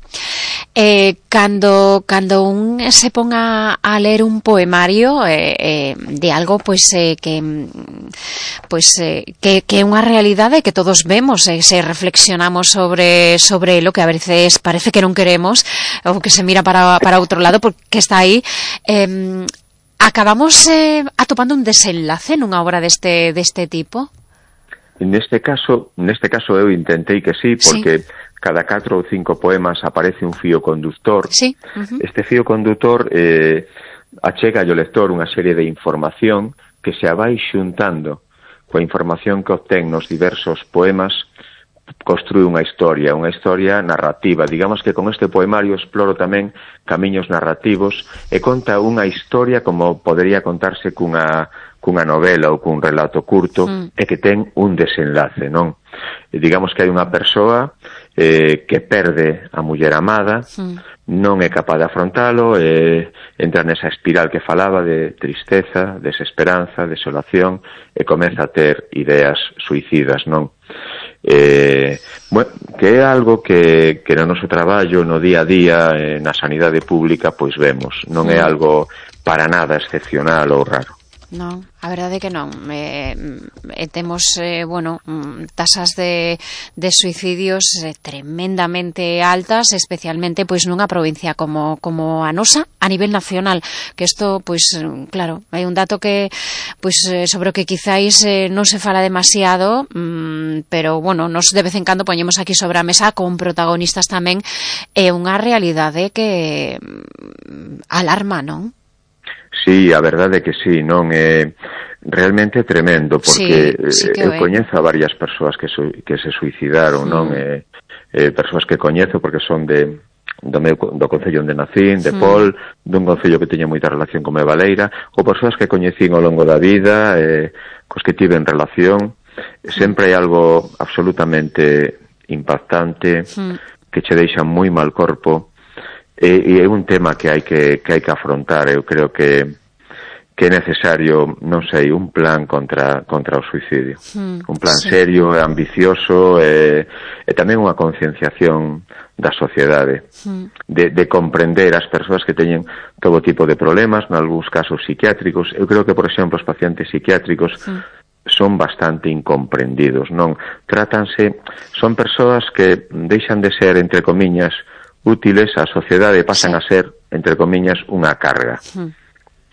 S1: Eh, cando cando un se ponga a ler un poemario eh, eh, de algo pois eh, que pois eh, que que é unha realidade que todos vemos e eh, se reflexionamos sobre sobre lo que a veces parece que non queremos ou que se mira para para outro lado porque está aí, eh, acabamos eh, atopando un desenlace nunha obra deste deste tipo?
S12: Neste caso, neste caso eu intentei que sí, porque sí. Cada catro ou cinco poemas aparece un fío conductor.
S1: Sí. Uh-huh.
S12: Este fío conductor eh, achega ao lector unha serie de información que se vai xuntando coa información que obtén nos diversos poemas, construe unha historia, unha historia narrativa. Digamos que con este poemario exploro tamén camiños narrativos e conta unha historia como podería contarse cunha, cunha novela ou cun relato curto mm. e que ten un desenlace, non? E digamos que hai unha persoa eh, que perde a muller amada, mm. non é capaz de afrontalo, e entra nesa espiral que falaba de tristeza, desesperanza, desolación, e comeza a ter ideas suicidas, non? Eh, bueno, que é algo que, que no noso traballo, no día a día, eh, na sanidade pública, pois vemos. Non é algo para nada excepcional ou raro.
S1: Non, a verdade é que non. Eh, eh, temos, eh, bueno, tasas de, de suicidios eh, tremendamente altas, especialmente pois nunha provincia como, como a nosa, a nivel nacional, que isto, pois, claro, hai un dato que, pois, sobre o que quizáis eh, non se fala demasiado, mmm, pero, bueno, nos de vez en cando poñemos aquí sobre a mesa con protagonistas tamén, é unha realidade que mm, alarma, non?
S12: Sí, a verdade é que sí, non é realmente tremendo, porque sí, sí eu coñezo a varias persoas que, su, que se suicidaron, mm. non? Eh, eh, persoas que coñezo porque son de do, meu, do Concello onde nacín, de mm. Pol, dun Concello que teña moita relación con Mevaleira, ou persoas que coñecín ao longo da vida, eh, cos que tiven relación. Sempre hai algo absolutamente impactante, mm. que che deixa moi mal corpo. E é un tema que hai que, que hai que afrontar. Eu creo que que é necesario, non sei, un plan contra contra o suicidio. Mm, un plan sí. serio, ambicioso e, e tamén unha concienciación da sociedade. Mm. De, de comprender as persoas que teñen todo tipo de problemas, nalgúns casos psiquiátricos. Eu creo que, por exemplo, os pacientes psiquiátricos mm. son bastante incomprendidos, non? Trátanse, son persoas que deixan de ser, entre comiñas, útiles á sociedade, pasan sí. a ser, entre comiñas, unha carga. Mm.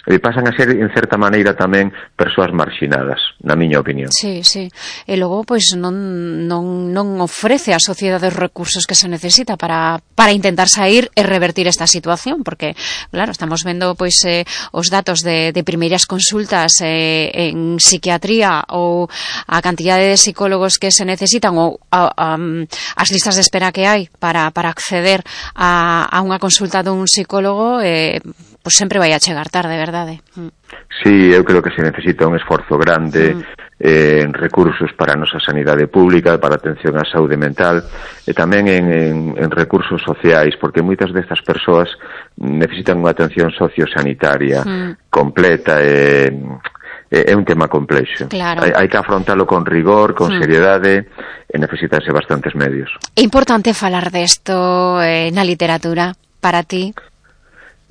S12: E pasan a ser, en certa maneira, tamén persoas marxinadas, na miña opinión.
S1: Sí, sí. E logo, pois, non, non, non ofrece á sociedade os recursos que se necesita para, para intentar sair e revertir esta situación, porque, claro, estamos vendo, pois, eh, os datos de, de primeiras consultas eh, en psiquiatría ou a cantidade de psicólogos que se necesitan ou a, a, as listas de espera que hai para, para acceder a, a unha consulta dun psicólogo, eh, pois sempre vai a chegar tarde, verdade? Mm.
S12: Sí, eu creo que se necesita un esforzo grande mm. eh, en recursos para a nosa sanidade pública, para a atención á saúde mental e tamén en, en, en recursos sociais, porque moitas destas persoas necesitan unha atención sociosanitaria mm. completa e é un tema complexo.
S1: Claro.
S12: Hai, hai que afrontalo con rigor, con mm. seriedade e necesitanse bastantes medios.
S1: É importante falar desto eh, na literatura para ti?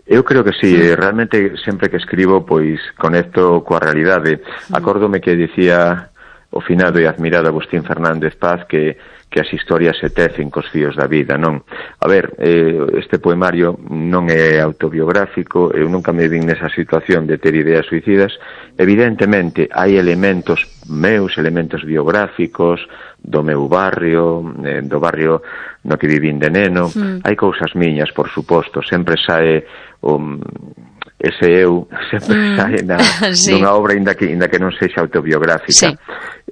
S12: Eu creo que sí, sí. Realmente sempre que escribo pois conecto coa realidade. Mm. Acórdome que dicía o finado e admirado Agustín Fernández Paz que, que as historias se tecen cos fíos da vida, non? A ver, eh, este poemario non é autobiográfico, eu nunca me vin nesa situación de ter ideas suicidas. Evidentemente hai elementos meus, elementos biográficos do meu barrio, eh, do barrio no que vivín de neno. Mm. Hai cousas miñas, por suposto, sempre sae o ese eu sempre mm. sae na, sí. nunha obra inda que, inda que non sexa autobiográfica. Sí.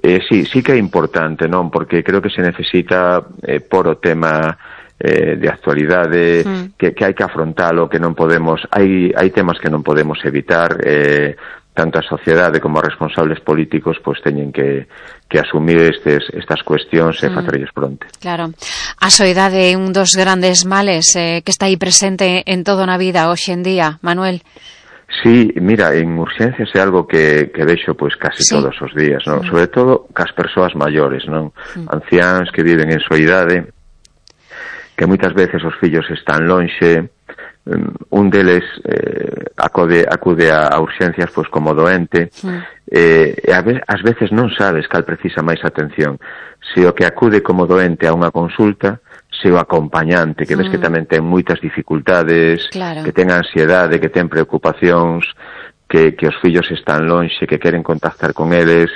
S12: Eh, sí, sí que é importante, non? Porque creo que se necesita eh, por o tema eh, de actualidade, mm. que, que hai que afrontalo, que non podemos, hai, hai temas que non podemos evitar, eh, tanto a sociedade como os responsables políticos pois teñen que, que asumir estes, estas cuestións e mm. facerlles pronto.
S1: Claro. A soidade é un dos grandes males eh, que está aí presente en toda a vida hoxe en día, Manuel.
S12: Sí, mira, en urxencias é algo que, que vexo pois casi sí. todos os días, non? Mm. Sobre todo cas persoas maiores, non? Mm. Anciáns que viven en soidade, que que moitas veces os fillos están lonxe, un deles eh, acude, acude a, a urxencias pois como doente, mm. eh, e a ve, ás veces non sabes cal precisa máis atención, se o que acude como doente a unha consulta, se o acompañante, que ves mm. que tamén ten moitas dificultades, claro. que ten ansiedade, que ten preocupacións, que, que os fillos están lonxe, que queren contactar con eles,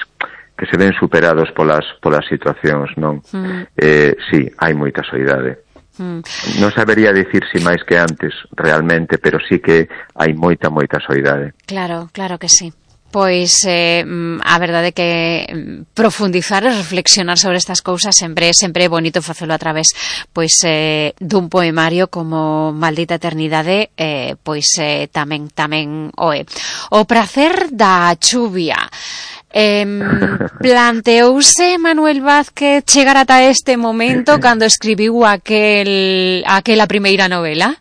S12: que se ven superados polas, polas situacións, non? Mm. Eh, sí, hai moita soidade. Mm. Non sabería dicir si máis que antes realmente, pero sí que hai moita, moita soidade.
S1: Claro, claro que sí. Pois eh, a verdade é que profundizar e reflexionar sobre estas cousas sempre sempre é bonito facelo a través pois eh, dun poemario como Maldita Eternidade, eh, pois eh, tamén tamén o é. O prazer da chuvia. Eh, planteouse Manuel Vázquez chegar ata este momento cando escribiu aquel aquela primeira novela?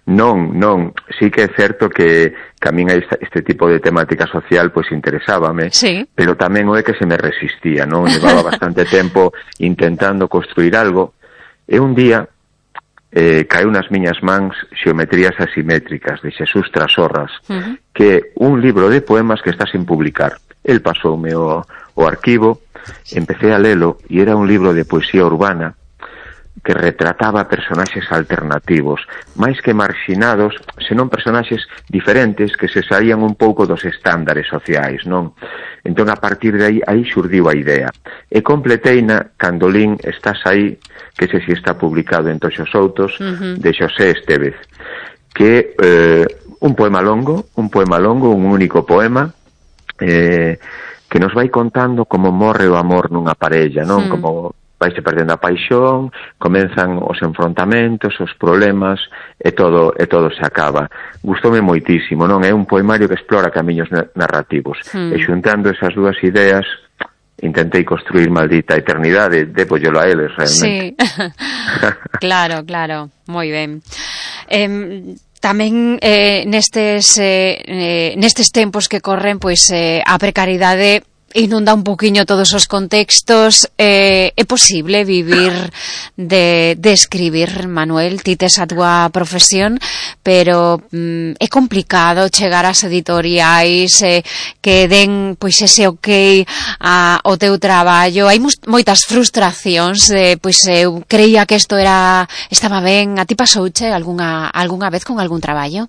S12: non, non, sí que é certo que que a min este tipo de temática social pois interesábame, sí. pero tamén o é que se me resistía, non? Levaba bastante tempo intentando construir algo, e un día eh, caeu nas miñas mans Xeometrías asimétricas de Xesús Trasorras, uh-huh. que é un libro de poemas que está sin publicar. El pasoume o, o arquivo, empecé a lelo, e era un libro de poesía urbana que retrataba personaxes alternativos, máis que marxinados, senón personaxes diferentes que se saían un pouco dos estándares sociais, non? Entón, a partir de aí, aí xurdiu a idea. E completeina cando lín Estás aí, que se si está publicado en Toxos Soutos, uh-huh. de Xosé Estévez, que eh, un poema longo, un poema longo, un único poema, eh, que nos vai contando como morre o amor nunha parella, non? Uh-huh. Como vaise perdendo a paixón, comenzan os enfrontamentos, os problemas, e todo e todo se acaba. Gustoume moitísimo, non? É un poemario que explora camiños narrativos. Hmm. E xuntando esas dúas ideas, intentei construir Maldita Eternidade, débóllelo a eles, realmente.
S1: Sí, claro, claro, moi ben. Eh, tamén eh, nestes, eh, eh, nestes tempos que corren, pois eh, a precariedade inunda un poquinho todos os contextos. Eh, é posible vivir de, de escribir, Manuel? Ti tes a túa profesión, pero mm, é complicado chegar ás editoriais eh, que den pois ese ok a, ao teu traballo. Hai moitas frustracións, eh, pois eu creía que isto era estaba ben. A ti pasouche algunha, algunha vez con algún traballo?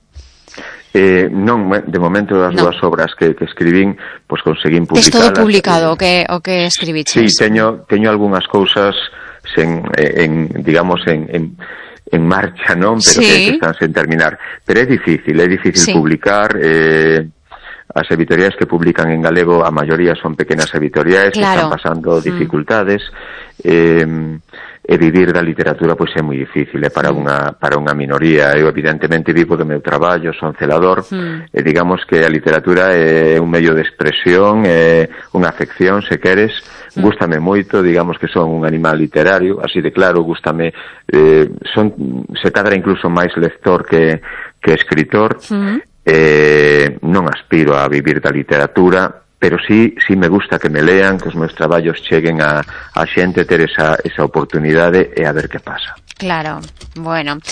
S12: Eh, non, de momento das no. dúas obras que, que escribín, pois conseguín publicalas.
S1: Es todo publicado eh, o que o que escribiches?
S12: Sí, teño teño algunhas cousas sen, en, digamos en, en, en marcha, non, pero sí. que, que están sen terminar. Pero é difícil, é difícil sí. publicar. Eh, as editoriais que publican en galego, a maioría son pequenas editoriais, claro. que están pasando dificultades. Mm. Eh, e vivir da literatura pois é moi difícil, é para unha para unha minoría. Eu evidentemente vivo do meu traballo, son celador, mm. e digamos que a literatura é un medio de expresión, é unha afección, se queres. Mm. Gústame moito, digamos que son un animal literario, así de claro, gústame, eh, son se cadra incluso máis lector que que escritor. Mm. Eh, non aspiro a vivir da literatura, pero sí, sí me gusta que me lean, que os meus traballos cheguen a, a xente, ter esa, esa oportunidade e a ver que pasa.
S1: Claro, bueno.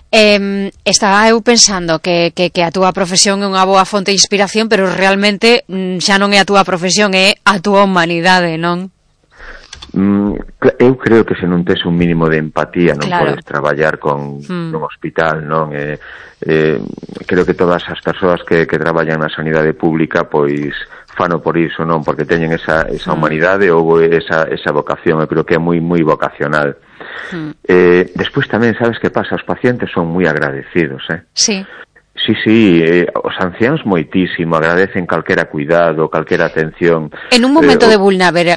S1: Eh, estaba eu pensando que, que, que a túa profesión é unha boa fonte de inspiración, pero realmente xa non é a túa profesión, é a túa humanidade, non?
S12: Mm, eu creo que se non tes un mínimo de empatía non claro. podes traballar con mm. un hospital, non? Eh, eh, creo que todas as persoas que, que traballan na sanidade pública pois fano por iso, non? Porque teñen esa, esa humanidade ou esa, esa vocación. Eu creo que é moi moi vocacional. Mm. Eh, despois tamén, sabes que pasa? Os pacientes son moi agradecidos, eh?
S1: Sí.
S12: Sí, sí, eh, os anciáns moitísimo, agradecen calquera cuidado, calquera atención.
S1: En un momento eh, de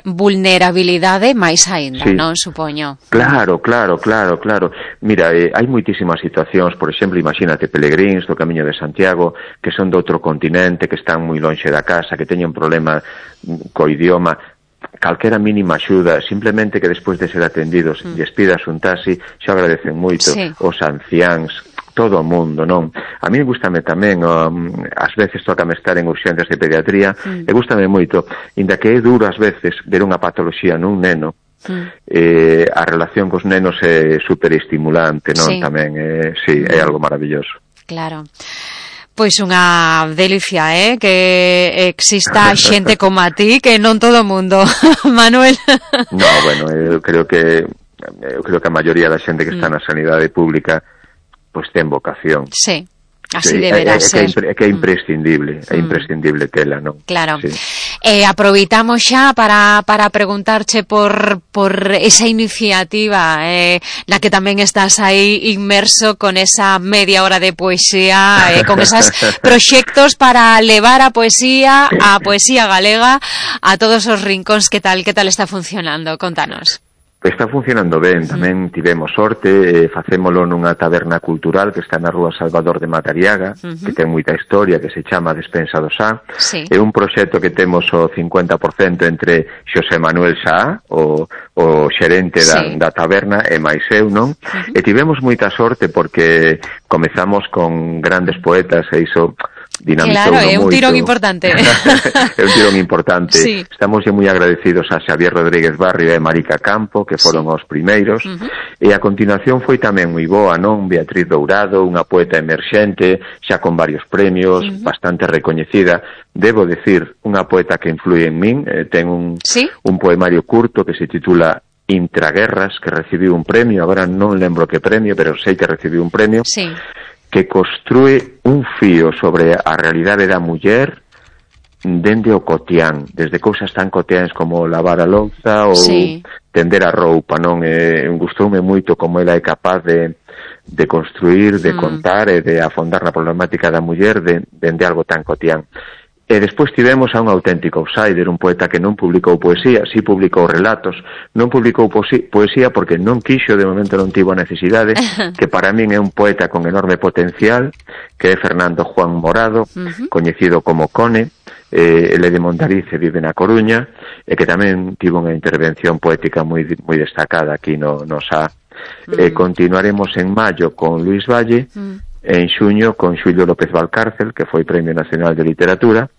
S1: vulnerabilidade máis aínda, sí. non, supoño.
S12: Claro, claro, claro, claro. Mira, eh, hai moitísimas situacións, por exemplo, imagínate pelegríns do Camiño de Santiago que son de outro continente, que están moi lonxe da casa, que teñen problema co idioma. Calquera mínima axuda, simplemente que despois de ser atendidos mm. lles pidas un taxi, xa agradecen moito. Sí. Os anciáns, todo o mundo, non? A mí gústame tamén, um, ás veces tócame estar en urxencias de pediatría, mm. e gústame moito, inda que é duro ás veces ver unha patoloxía nun neno, Mm. Eh, a relación cos nenos é superestimulante, non? Sí. Tamén, eh, sí, é algo maravilloso.
S1: Claro. Pois unha delicia, eh, que exista xente como a ti, que non todo o mundo, Manuel.
S12: No, bueno, eu creo que eu creo que a maioría da xente que está na sanidade pública pois ten vocación.
S1: Sí. Así deberá
S12: é, é,
S1: ser.
S12: É, é que é imprescindible, mm. é imprescindible tela, non?
S1: Claro.
S12: Sí.
S1: Eh, aproveitamos xa para, para preguntarche por, por esa iniciativa eh, na que tamén estás aí inmerso con esa media hora de poesía, eh, con esos proxectos para levar a poesía, a poesía galega a todos os rincóns. Que tal, que tal está funcionando? Contanos.
S12: Está funcionando ben, tamén tivemos sorte, eh, facémolo nunha taberna cultural que está na rúa Salvador de Matariaga, uh-huh. que ten moita historia, que se chama Despensa do Sá. Sí. É un proxecto que temos o cincuenta por cento entre Xosé Manuel Sá, o, o xerente da, sí. da taberna, e máis eu, non? Uh-huh. E tivemos moita sorte porque comezamos con grandes poetas e iso dinamizou
S1: claro, é un
S12: moito.
S1: tirón importante.
S12: É un tirón importante.
S1: Sí.
S12: Estamos moi agradecidos a Xavier Rodríguez Barrio e Marica Campo, que foron sí. os primeiros, uh-huh. e a continuación foi tamén moi boa, non? Beatriz Dourado, unha poeta emerxente, xa con varios premios, uh-huh. bastante recoñecida. Debo decir, unha poeta que influe en min, eh, ten un, ¿sí? un poemario curto que se titula Intraguerras, que recibiu un premio, agora non lembro que premio, pero sei que recibiu un premio. Sí. Que construe un fío sobre a realidade da muller dende o cotián, desde cousas tan cotiáns como lavar a louza ou sí. tender a roupa, non? Eh, gustoume moito como ela é capaz de, de construir, de mm. contar e de afondar na problemática da muller de, dende algo tan cotián. E despois tivemos a un auténtico outsider, un poeta que non publicou poesía, si publicou relatos, non publicou poesía porque non quixo, de momento non tivo a necesidade, que para min é un poeta con enorme potencial, que é Fernando Juan Morado, uh-huh. coñecido como Cone, eh, ele de Mondariz e vive na Coruña, e que tamén tivo unha intervención poética moi, moi destacada aquí no, no S A. Uh-huh. E continuaremos en maio con Luis Valle, uh-huh. en xuño con Xulio López Valcárcel, que foi Premio Nacional de Literatura,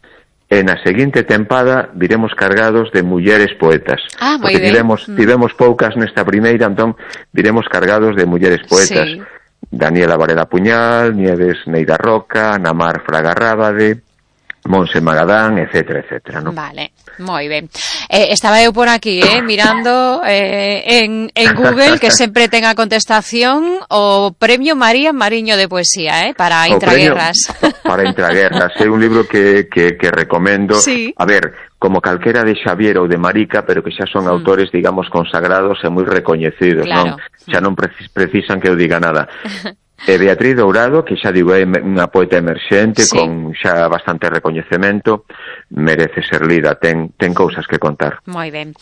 S12: e na seguinte tempada viremos cargados de mulleres poetas.
S1: Ah,
S12: porque tivemos, tivemos poucas nesta primeira, entón viremos cargados de mulleres poetas. Sí. Daniela Varela Puñal, Nieves Neida Roca, Namar Fraga Rábade, Monse Magadán, etcétera, etcétera, ¿no?
S1: Vale, moi ben. Eh, estaba eu por aquí, eh, mirando eh, en, en Google, que sempre ten a contestación o Premio María Mariño de Poesía, eh, para Intraguerras.
S12: Premio, para Intraguerras, é un libro que, que, que recomendo. Sí. A ver, como calquera de Xavier ou de Marica, pero que xa son mm. autores, digamos, consagrados e moi recoñecidos, claro. non? Xa non precisan que eu diga nada. E Beatriz Dourado, que xa digo é unha poeta emerxente, sí. con xa bastante recoñecemento, merece ser lida, ten, ten cousas que contar.
S1: Moi ben.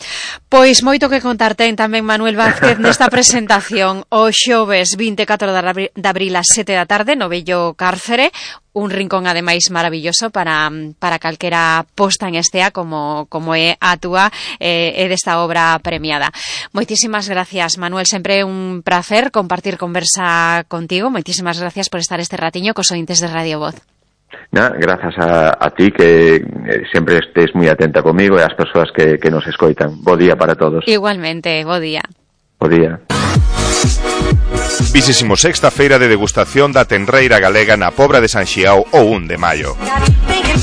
S1: Pois moito que contar ten tamén Manuel Vázquez nesta presentación o xoves vinte e catro de abril ás sete da tarde no Bello Cárcere, un rincón ademais maravilloso para, para calquera posta en estea como, como é a túa eh, e desta obra premiada. Moitísimas gracias, Manuel, sempre é un placer compartir conversa contigo. Moitísimas gracias por estar este ratiño cos ointes de Radio Voz.
S12: Na, grazas a, a ti que eh, sempre estés moi atenta comigo e as persoas que, que nos escoitan. Bo día para todos.
S1: Igualmente, bo día.
S12: Bo día.
S3: vigésima sexta Feira de Degustación da Tenreira Galega na Pobra de San Xiao o un de maio.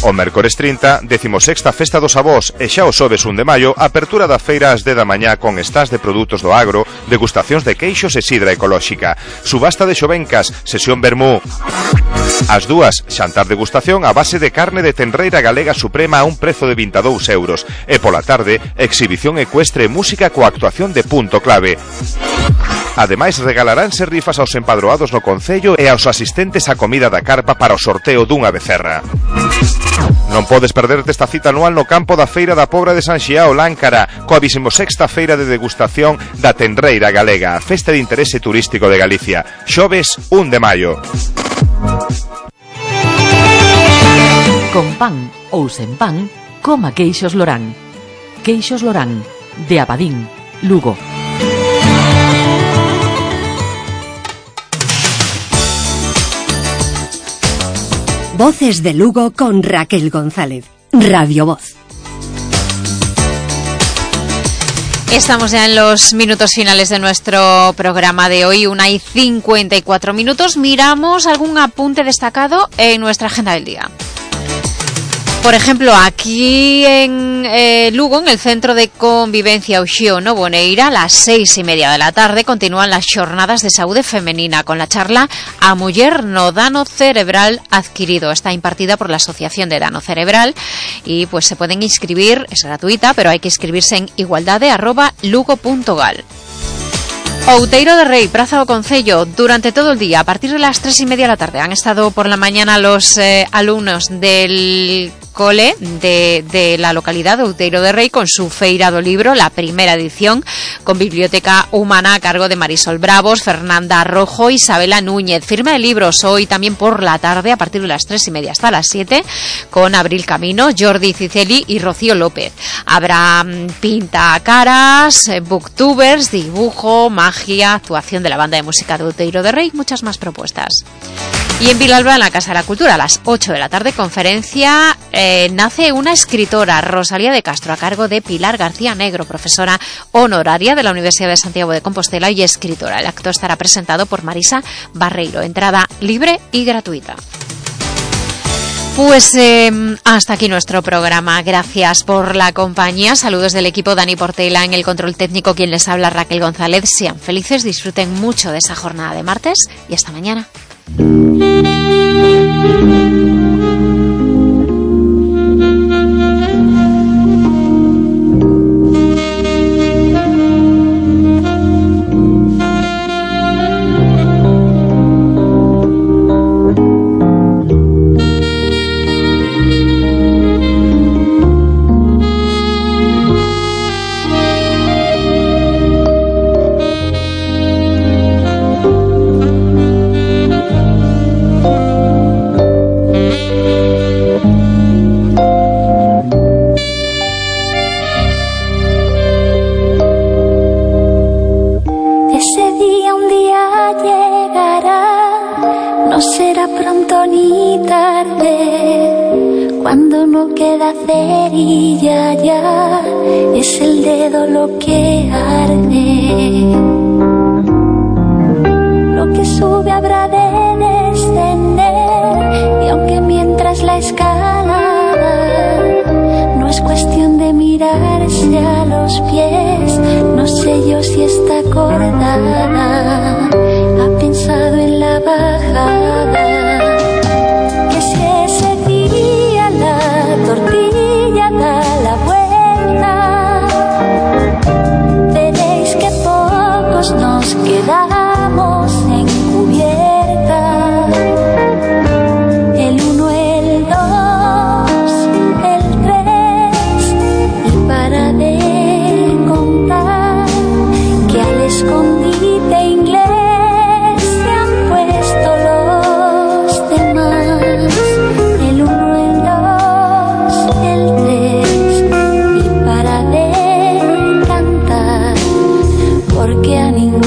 S3: O mércores trinta, décima sexta Festa dos Avós e xa o xoves un de maio, apertura da feira ás dez da mañá con estás de produtos do agro, degustacións de queixos e sidra ecolóxica, subasta de xovencas, sesión vermú. As dúas, xantar degustación a base de carne de tenreira galega suprema a un prezo de vinte e dous euros e pola tarde, exhibición ecuestre e música coa actuación de Punto Clave. Ademais, regalaránse rifas aos empadroados no concello e aos asistentes á comida da carpa para o sorteo dunha becerra. Non podes perderte esta cita anual no campo da Feira da Pobra de San Xiao, Láncara, coa vigésima sexta Feira de Degustación da Tenreira Galega, festa de interese turístico de Galicia, xoves un de maio.
S7: Con pan ou sen pan, coma queixos Lorán. Queixos Lorán, de Abadín, Lugo.
S10: Voces de Lugo con Raquel González. Radio Voz.
S1: Estamos ya en los minutos finales de nuestro programa de hoy, una y cincuenta y cuatro minutos. Miramos algún apunte destacado en nuestra agenda del día. Por ejemplo, aquí en eh, Lugo, en el Centro de Convivencia Uxío no Boneira, a las seis y media de la tarde continúan las jornadas de saúde femenina con la charla A Muller no Dano Cerebral Adquirido. Está impartida por la Asociación de Dano Cerebral y pues se pueden inscribir, es gratuita, pero hay que inscribirse en igualdade arroba lugo punto gal. Outeiro de Rei, Praza do Concello, durante todo el día, a partir de las tres y media de la tarde. Han estado por la mañana los eh, alumnos del cole de, de la localidad de Outeiro de Rei con su Feira do Libro, la primera edición, con biblioteca humana a cargo de Marisol Bravos, Fernanda Rojo, Isabela Núñez. Firma de libros hoy también por la tarde, a partir de las tres y media hasta las siete, con Abril Camino, Jordi Ciceli y Rocío López. Habrá pinta caras, booktubers, dibujo, magia, actuación de la banda de música de Outeiro de Rei, muchas más propuestas. Y en Vilalba, en la Casa de la Cultura, a las ocho de la tarde, conferencia eh, Nace una escritora, Rosalía de Castro, a cargo de Pilar García Negro, profesora honoraria de la Universidad de Santiago de Compostela y escritora. El acto estará presentado por Marisa Barreiro. Entrada libre y gratuita. Pues eh, hasta aquí nuestro programa. Gracias por la compañía. Saludos del equipo, Dani Portela en el control técnico, quien les habla, Raquel González. Sean felices, disfruten mucho de esa jornada de martes y hasta mañana.
S13: Cuando no queda cerilla ya, es el dedo lo que arde. Lo que sube habrá de descender, y aunque mientras la escalada no es cuestión de mirarse a los pies, no sé yo si está acordada, ha pensado en la bajada. Tortilla da la vuelta, veréis que pocos nos quedamos en cubierta. El uno, el dos, el tres, y para de contar que al escondite inglés se han puesto los demás. El uno, el porque a ningún